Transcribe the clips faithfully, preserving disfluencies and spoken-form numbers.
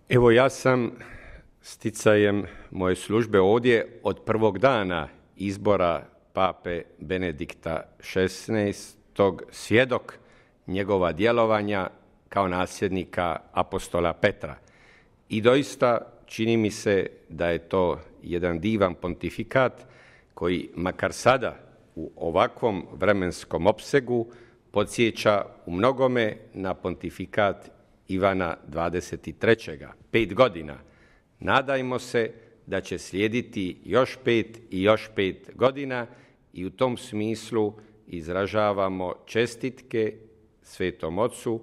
Evo, ja sam sticajem moje službe ovdje od prvog dana izbora pape Benedikta šesnaestog svjedok njegova djelovanja kao nasljednika apostola Petra. I doista čini mi se da je to jedan divan pontifikat koji makar sada u ovakvom vremenskom opsegu podsjeća u mnogome na pontifikat Ivana dvadeset trećeg Pet godina. Nadajmo se da će slijediti još pet i još pet godina i u tom smislu izražavamo čestitke Svetom Ocu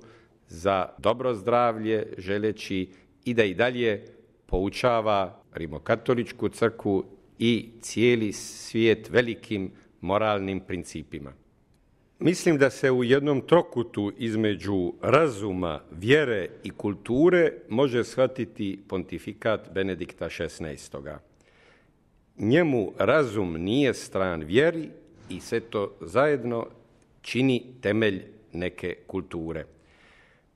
za dobro zdravlje, želeći i da i dalje poučava Rimokatoličku crkvu i cijeli svijet velikim moralnim principima. Mislim da se u jednom trokutu između razuma, vjere i kulture može shvatiti pontifikat Benedikta šesnaestog Njemu razum nije stran vjeri i sve to zajedno čini temelj neke kulture.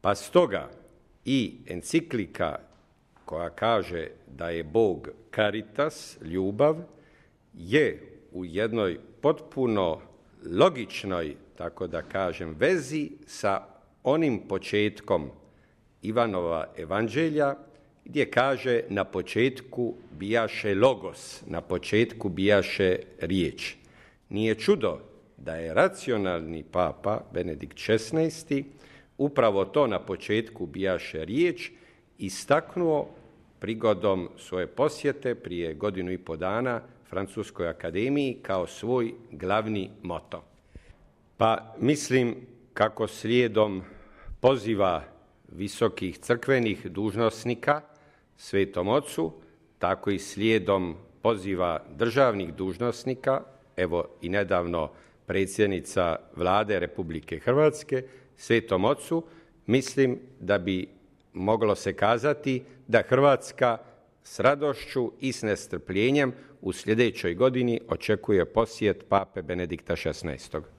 Pa stoga i enciklika koja kaže da je Bog caritas, ljubav, je u jednoj potpuno logičnoj, tako da kažem, vezi sa onim početkom Ivanova evanđelja, gdje kaže na početku bijaše logos, na početku bijaše riječ. Nije čudo da je racionalni papa Benedikt šesnaesti upravo to na početku bijaše riječ istaknuo prigodom svoje posjete prije godinu i po dana Francuskoj akademiji kao svoj glavni moto. Pa mislim kako slijedom poziva visokih crkvenih dužnosnika Svetom Ocu, tako i slijedom poziva državnih dužnosnika, evo i nedavno predsjednica Vlade Republike Hrvatske, Svetom Ocu, mislim da bi moglo se kazati da Hrvatska s radošću i s nestrpljenjem u sljedećoj godini očekuje posjet pape Benedikta šesnaestog